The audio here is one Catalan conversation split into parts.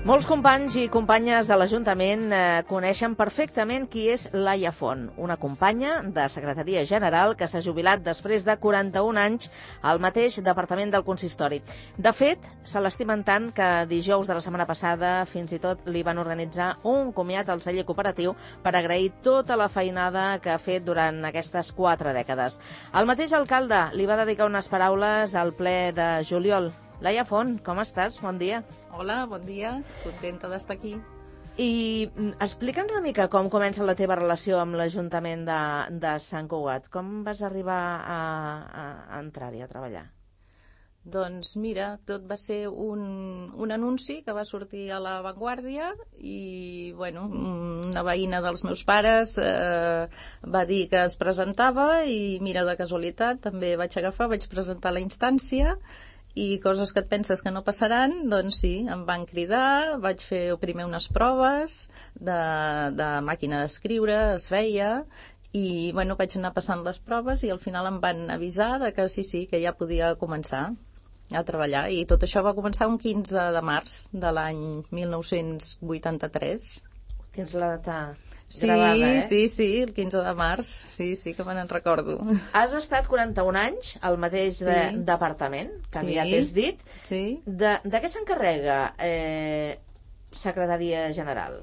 Molts companys i companyes de l'Ajuntament coneixen perfectament qui és Laia Font, una companya de Secretaria General que s'ha jubilat després de 41 anys al mateix departament del consistori. De fet, se l'estimen tant que dijous de la setmana passada fins i tot li van organitzar un comiat al celler cooperatiu per agrair tota la feinada que ha fet durant aquestes 4 dècades. El mateix alcalde li va dedicar unes paraules al ple de juliol. Laia Font, com estàs? Bon dia. Hola, bon dia. Contenta d'estar aquí. I explica'ns una mica com comença la teva relació amb l'Ajuntament de Sant Cugat. Com vas arribar a entrar-hi a treballar? Doncs mira, tot va ser un anunci que va sortir a La Vanguardia i, bueno, una veïna dels meus pares va dir que es presentava i, mira, de casualitat, també vaig agafar, vaig presentar la instància i coses que et penses que no passaran, doncs sí, em van cridar, vaig fer primer unes proves de màquina d'escriure, es feia, i bueno, vaig anar passant les proves i al final em van avisar de que sí, que ja podia començar a treballar, i tot això va començar un 15 de març de l'any 1983. Tens la data gravada, eh? Sí, el 15 de març, sí, que me n'en recordo. Has estat 41 anys al mateix departament, que ja t'has dit. Sí. De què s'encarrega Secretaria General?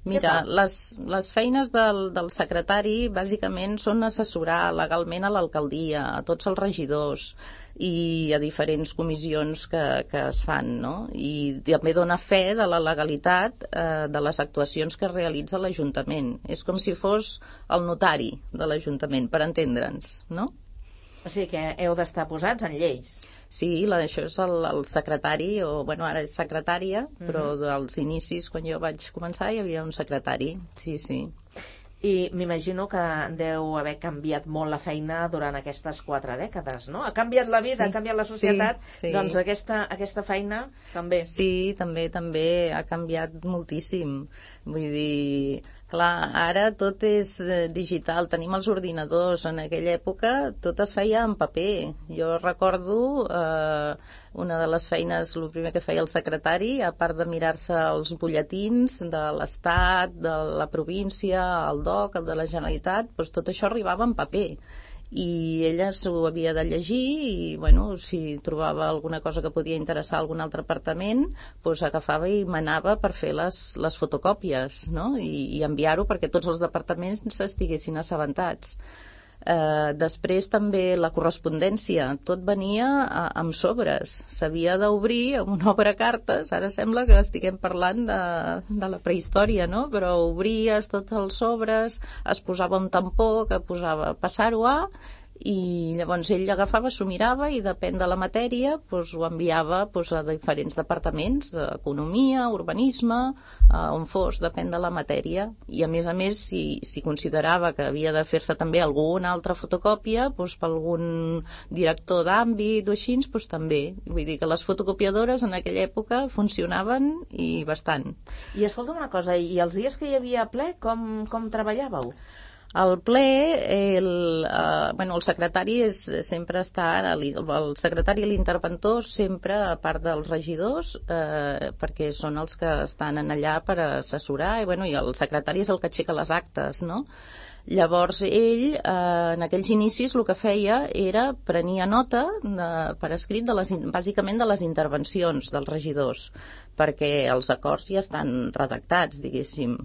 Mira, les feines del secretari bàsicament són assessorar legalment a l'alcaldia, a tots els regidors i a diferents comissions que es fan, no? I també dona fe de la legalitat de les actuacions que realitza l'Ajuntament. És com si fos el notari de l'Ajuntament, per entendre'ns, no? O sigui que heu d'estar posats en lleis. Sí, això és el secretari, o bueno, ara és secretària, però dels inicis, quan jo vaig començar, hi havia un secretari, sí. I m'imagino que deu haver canviat molt la feina durant aquestes 4 dècades, no? Ha canviat la vida, ha canviat la societat, doncs aquesta feina també. Sí, també ha canviat moltíssim. Vull dir, clar, ara tot és digital, tenim els ordinadors. En aquella època tot es feia en paper. Jo recordo una de les feines, el primer que feia el secretari, a part de mirar-se els butlletins de l'Estat, de la província, el DOC, el de la Generalitat, doncs tot això arribava en paper. I ella s'ho havia de llegir i, bueno, si trobava alguna cosa que podia interessar a algun altre departament, doncs agafava i manava per fer les fotocòpies, no? I enviar-ho perquè tots els departaments estiguessin assabentats. Després també la correspondència, tot venia amb sobres, s'havia d'obrir amb una obrecartes. Ara sembla que estiguem parlant de la prehistòria, no? Però obries tots els sobres, es posava un tampó que posava passar-ho a, i llavors ell l'agafava, s'ho mirava i depèn de la matèria doncs ho enviava a diferents departaments, economia, urbanisme, on fos, depèn de la matèria. I a més, si considerava que havia de fer-se també alguna altra fotocòpia doncs per algun director d'àmbit o així, doncs també. Vull dir que les fotocopiadores en aquella època funcionaven i bastant. I escolta'm una cosa, i els dies que hi havia ple, com treballàveu? El ple, el secretari sempre està, el secretari i l'interventor sempre, a part dels regidors, perquè són els que estan allà per assessorar, i el secretari és el que aixeca les actes, no? Llavors ell, en aquells inicis, el que feia era prenia nota per escrit bàsicament de les intervencions dels regidors, perquè els acords ja estan redactats, diguéssim,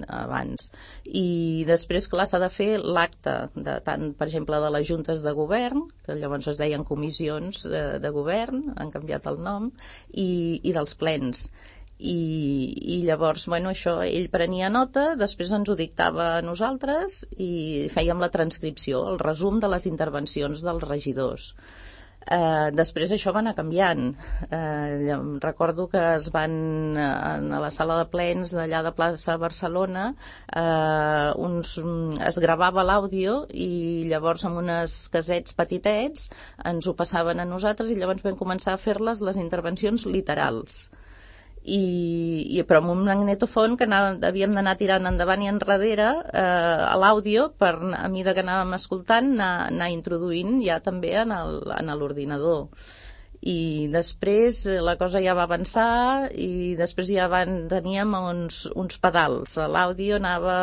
abans. I després, clar, s'ha de fer l'acte, tant, per exemple, de les juntes de govern, que llavors es deien comissions de govern, han canviat el nom, i dels plens. I llavors, això, ell prenia nota, després ens ho dictava a nosaltres i fèiem la transcripció, el resum de les intervencions dels regidors. Després això va anar canviant. Recordo que es van a la sala de plens d'allà de plaça Barcelona, es gravava l'àudio i llavors amb unes casets petitets ens ho passaven a nosaltres i llavors vam començar a fer-les les intervencions literals. Però amb un magnetofon que havíem d'anar tirant endavant i enrere a l'àudio per, a mesura que anàvem escoltant, anar introduint ja també en l'ordinador. i després la cosa ja va avançar i després ja teníem uns pedals. L'àudio anava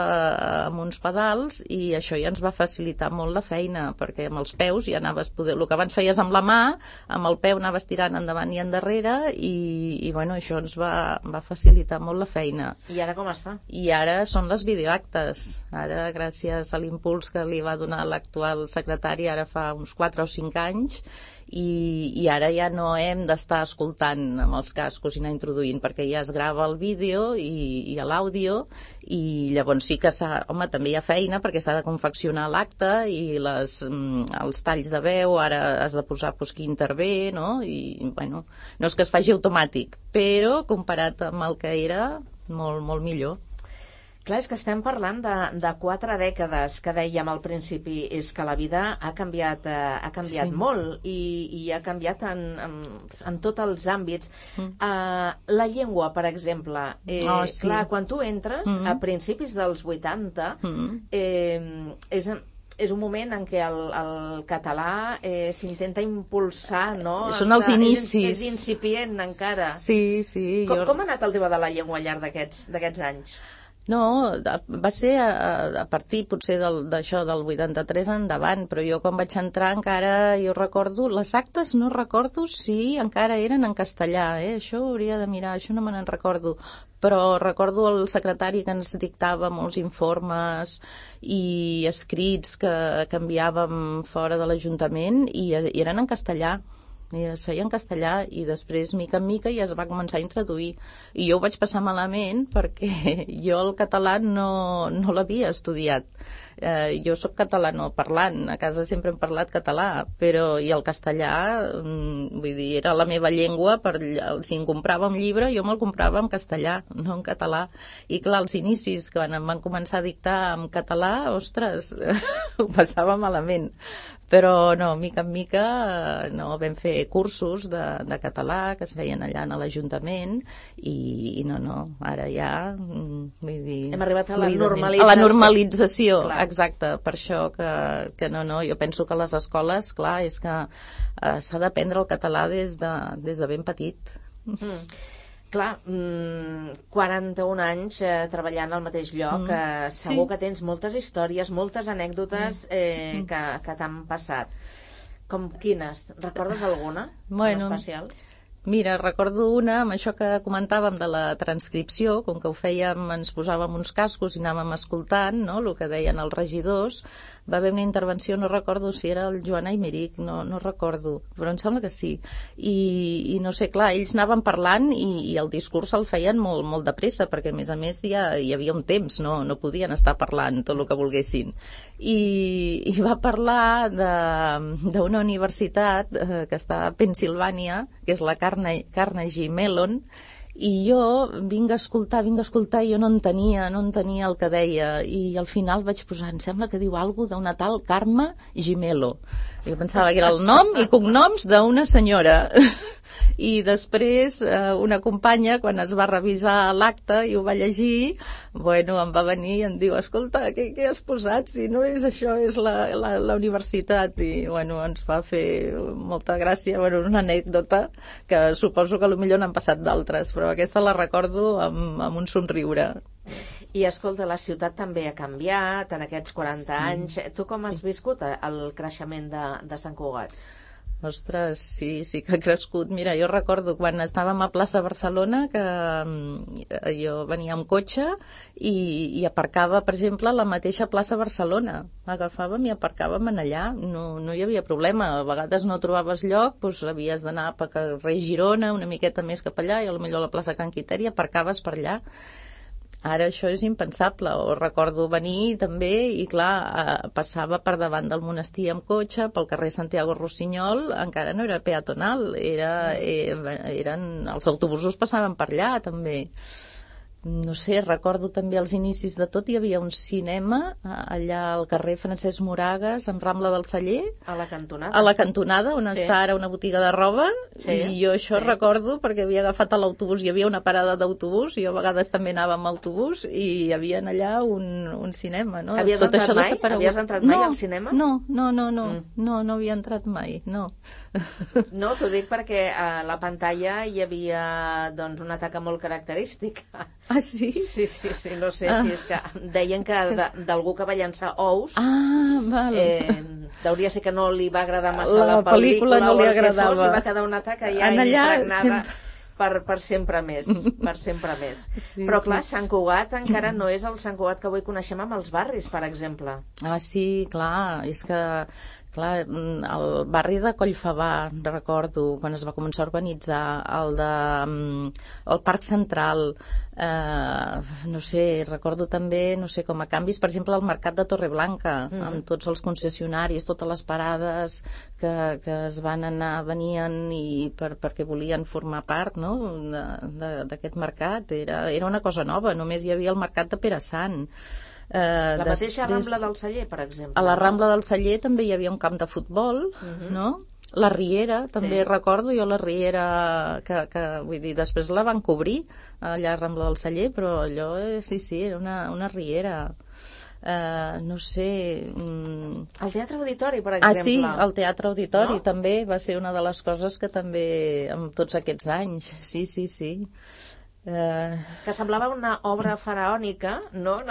amb uns pedals i això ja ens va facilitar molt la feina, perquè amb els peus ja anaves el que abans feies amb la mà, amb el peu anaves tirant endavant i endarrere i bueno, això ens va facilitar molt la feina. I ara com es fa? I ara són les videoactes. Ara, gràcies a l'impuls que li va donar l'actual secretari ara fa uns 4 o 5 anys, i ara ja no hem d'estar escoltant amb els cascos i anar introduint, perquè ja es grava el vídeo i l'àudio, i llavors sí que també hi ha feina perquè s'ha de confeccionar l'acte i els talls de veu, ara has de posar qui intervé, no? I bueno, no és que es faci automàtic, però comparat amb el que era, molt, molt millor. Clar, és que estem parlant de 4 dècades, que dèiem al principi, és que la vida ha canviat molt i ha canviat en tots els àmbits. La llengua, per exemple, clar, quan tu entres a principis dels 80, és un moment en què el català s'intenta impulsar, no? Són els inicis. És incipient encara. Sí. Com ha anat el tema de la llengua al llarg d'aquests anys? No, va ser a partir potser d'això del 83 endavant, però jo quan vaig entrar encara, jo recordo, les actes no recordo si encara eren en castellà, això hauria de mirar, això no me n'en recordo, però recordo el secretari que ens dictava molts informes i escrits que enviàvem fora de l'Ajuntament i eren en castellà. I es feia en castellà i després, mica en mica, ja es va començar a introduir. I jo ho vaig passar malament perquè jo el català no l'havia estudiat. Jo sóc catalanoparlant, a casa sempre hem parlat català, però i el castellà, vull dir, era la meva llengua, si em comprava un llibre jo me'l comprava en castellà, no en català. I clar, els inicis, quan em van començar a dictar en català, ostres, ho passava malament. Però no, mica en mica no, vam fer cursos de català que es feien allà a l'Ajuntament i no, ara ja vull dir... Hem arribat a la normalització. A la normalització, clar. Exacte, per això que no, jo penso que a les escoles, clar, és que s'ha d'aprendre el català des de ben petit. Clar, 41 anys treballant al mateix lloc, segur que tens moltes històries, moltes anècdotes que t'han passat. Com quines? Recordes alguna en especial? Mira, recordo una, amb això que comentàvem de la transcripció, com que ho fèiem, ens posàvem uns cascos i anàvem escoltant, no?, el que deien els regidors. Va haver una intervenció, no recordo si era el Joan Aymeric, no recordo, però em sembla que sí. I no sé, clar, ells anaven parlant i el discurs el feien molt, molt de pressa, perquè a més ja hi havia un temps, no podien estar parlant tot el que volguessin. I va parlar d'una universitat que està a Pennsilvània, que és la Carnegie Mellon, i jo vinc a escoltar, i jo no entenia el que deia, i al final vaig posar, em sembla que diu alguna d'una tal Carme Gimello. Jo pensava que era el nom i cognoms d'una senyora. I després una companya, quan es va revisar l'acte i ho va llegir, em va venir i em diu, escolta, què has posat? Si no és això, és la universitat. I ens va fer molta gràcia, una anècdota que suposo que potser n'han passat d'altres, però aquesta la recordo amb un somriure. I escolta, la ciutat també ha canviat en aquests 40 anys. Tu com has viscut el creixement de Sant Cugat? Ostres, sí que ha crescut. Mira, jo recordo quan estàvem a plaça Barcelona que jo venia amb cotxe i aparcava, per exemple, a la mateixa plaça Barcelona. Agafàvem i aparcàvem en allà, no hi havia problema. A vegades no trobaves lloc, havies d'anar per carrer Girona, una miqueta més cap allà, i potser a la plaça Can Quiteri aparcaves per allà. Ara això és impensable. O recordo venir també i clar, passava per davant del monestir amb cotxe, pel carrer Santiago Rossinyol, encara no era peatonal, els autobusos passaven per allà també. no sé, recordo també als inicis de tot hi havia un cinema allà al carrer Francesc Moragas amb Rambla del Celler, A la cantonada. a la cantonada on està ara una botiga de roba, i jo això recordo perquè havia agafat l'autobús, hi havia una parada d'autobús, jo a vegades també anava amb autobús i hi havia allà un cinema, no? Havies Tot entrat això mai? Havies entrat mai al cinema? No havia entrat mai, no. No, t'ho dic perquè a la pantalla hi havia doncs una taca molt característica. Ah, sí? Sí, no sé si és que deien que d'algú que va llançar ous, val. deuria ser que no li va agradar massa la pel·lícula no o li el que agradava. fos, i va quedar una taca ja impregnada per sempre més, per sempre més. Sí, però clar, Sant Cugat encara no és el Sant Cugat que avui coneixem amb els barris, per exemple. Ah, sí, clar, és que el barri de Collfabà, recordo, quan es va començar a urbanitzar, el Parc Central, no sé, recordo també, no sé, com a canvis, per exemple, el Mercat de Torreblanca, amb tots els concessionaris, totes les parades que es van anar, venien perquè volien formar part, no?, d'aquest mercat. Era una cosa nova, només hi havia el Mercat de Pere Sant. La mateixa Rambla del Celler, per exemple. A la Rambla del Celler també hi havia un camp de futbol, no? La Riera, també recordo jo la Riera, que vull dir, després la van cobrir allà a Rambla del Celler, però allò, sí, era una Riera. No sé... El Teatre Auditori, per exemple. Ah, sí, el Teatre Auditori també va ser una de les coses que també, amb tots aquests anys, sí. Que semblava una obra faraònica, no? En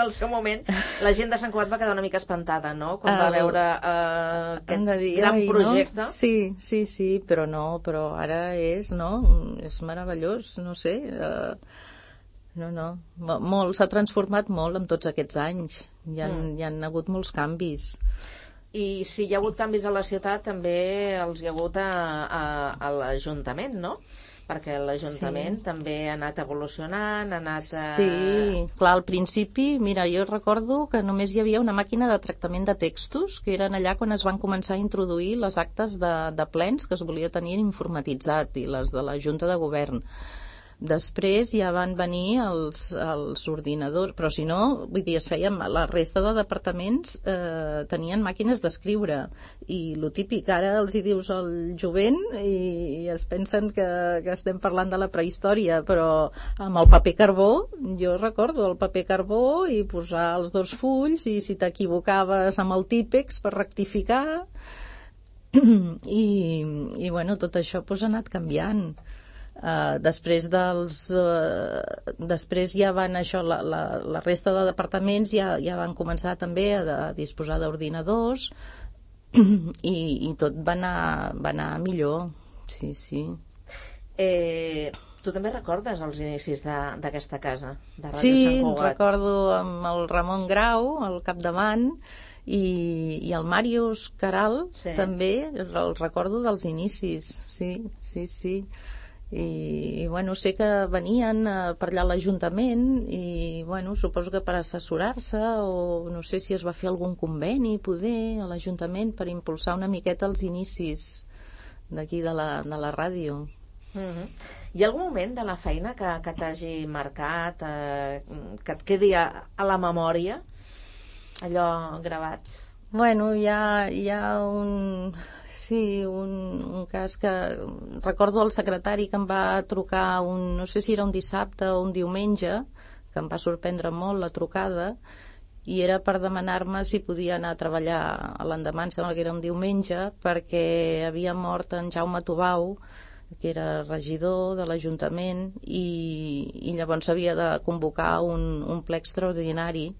el seu moment la gent de Sant Cugat va quedar una mica espantada, no?, quan va veure aquest gran projecte. No? Sí, però ara és meravellós, no sé, molt, s'ha transformat molt en tots aquests anys, hi han hagut molts canvis. I si hi ha hagut canvis a la ciutat, també els hi ha hagut a l'Ajuntament, no? Perquè l'Ajuntament també ha anat evolucionant, ha anat... Sí, clar, al principi, mira, jo recordo que només hi havia una màquina de tractament de textos, que eren allà quan es van començar a introduir les actes de plens que es volia tenir informatitzat, i les de la Junta de Govern. Després ja van venir els ordinadors, però si no, vull dir, es feien, la resta de departaments tenien màquines d'escriure, i lo típic, ara els hi dius al jovent i es pensen que estem parlant de la prehistòria, però amb el paper carbó, jo recordo el paper carbó i posar els 2 fulls, i si t'equivocaves amb el típex per rectificar, i bueno, tot això ha anat canviant. Després ja van la resta de departaments ja van començar també a disposar d'ordinadors, i tot va anar millor, sí. Tu també recordes els inicis d'aquesta casa, de Ràdio Sí, Sant Cugat? recordo amb el Ramon Grau al capdavant, i el Màrius Caral també, el recordo dels inicis, sí. I bueno, sé que venien per allà a l'Ajuntament, i bueno, suposo que per assessorar-se, o no sé si es va fer algun conveni poder a l'Ajuntament per impulsar una miqueta els inicis d'aquí de la ràdio. Hi ha algun moment de la feina que t'hagi marcat, que et quedi a la memòria, allò gravat? Bueno, hi ha un cas que recordo el secretari que em va trucar no sé si era un dissabte o un diumenge, que em va sorprendre molt la trucada, i era per demanar-me si podia anar a treballar a l'endemà, em sembla que era un diumenge, perquè havia mort en Jaume Tubau, que era regidor de l'Ajuntament, i llavors havia de convocar un ple extraordinari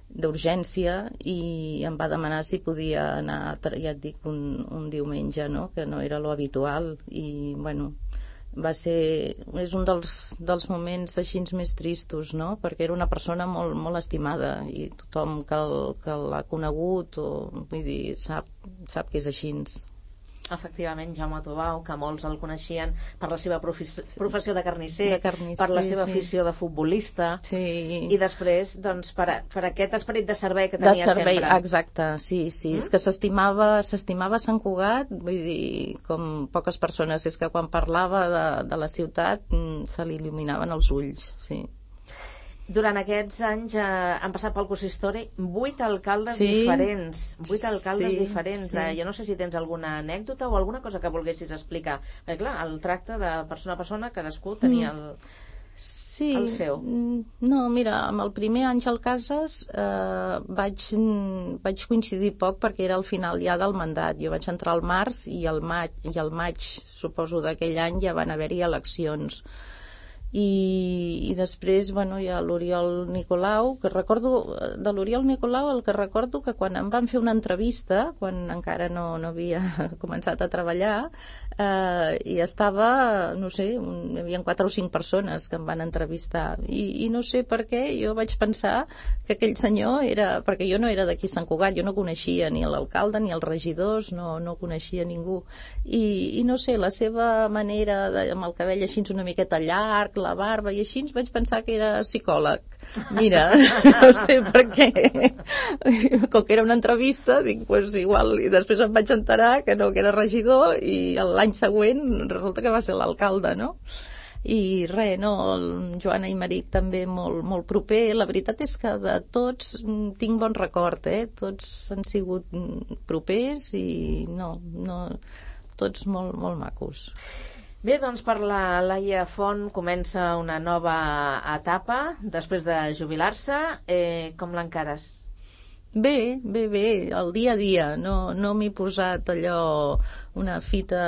d'urgència, i em va demanar si podia anar, ja et dic, un diumenge, no?, que no era lo habitual, i bueno, és un dels moments així més tristos, no?, perquè era una persona molt, molt estimada, i tothom que l'ha conegut, vull dir, sap que és així. Efectivament, Jaume Tubau, que molts el coneixien per la seva professió de carnisser, per la seva afició de futbolista, i després doncs, per aquest esperit de servei que tenia sempre. Exacte, sí. És que s'estimava Sant Cugat, vull dir, com poques persones, és que quan parlava de la ciutat se li il·luminaven els ulls, sí. Durant aquests anys han passat pel consistori 8 alcaldes diferents. 8 alcaldes diferents. Jo no sé si tens alguna anècdota o alguna cosa que volguessis explicar. Perquè, clar, el tracte de persona a persona, cadascú tenia el seu. No, mira, amb el primer Àngel Casas vaig coincidir poc perquè era al final ja del mandat. Jo vaig entrar al març i al maig, suposo, d'aquell any ja van haver-hi eleccions. I després, bueno, hi ha l'Oriol Nicolau, que recordo, de l'Oriol Nicolau el que recordo que quan em van fer una entrevista, quan encara no havia començat a treballar, i estava, no sé, hi havia 4 o 5 persones que em van entrevistar, i no sé per què jo vaig pensar que aquell senyor era, perquè jo no era d'aquí Sant Cugat, jo no coneixia ni l'alcalde ni els regidors, no coneixia ningú, i no sé, la seva manera amb el cabell així una miqueta llarg, la barba i així, vaig pensar que era psicòleg. Mira, no sé per què. Com que era una entrevista, dic, pues igual, i després em vaig enterar que no, que era regidor, i l'any següent resulta que va ser l'alcalde, no? I res, no, el Joan Aymeric també molt proper. La veritat és que de tots tinc bon record, tots han sigut propers i no, tots molt macos. Bé, doncs per la Laia Font comença una nova etapa després de jubilar-se. Com l'encares? Bé, el dia a dia. No m'he posat allò una fita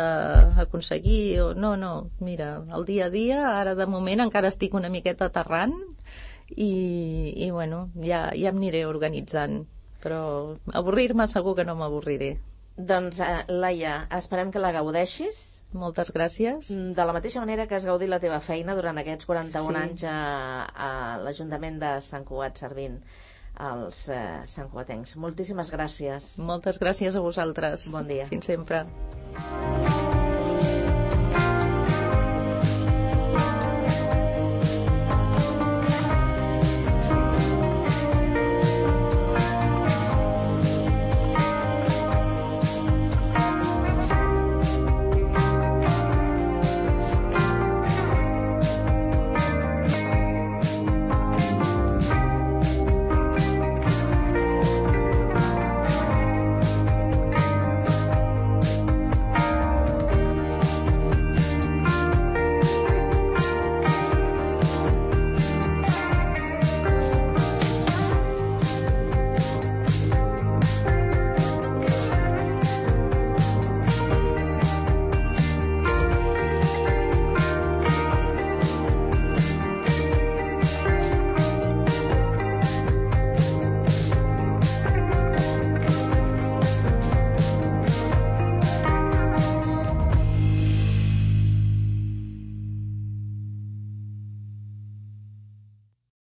a aconseguir. No, mira, el dia a dia, ara de moment encara estic una miqueta aterrant i bueno, ja em aniré organitzant. Però avorrir-me segur que no m'avorriré. Doncs, Laia, esperem que la gaudeixis. Moltes gràcies. De la mateixa manera que has gaudit la teva feina durant aquests 41 anys a l'Ajuntament de Sant Cugat servint als santcugatencs. Moltíssimes gràcies. Moltes gràcies a vosaltres. Bon dia. Fins sempre.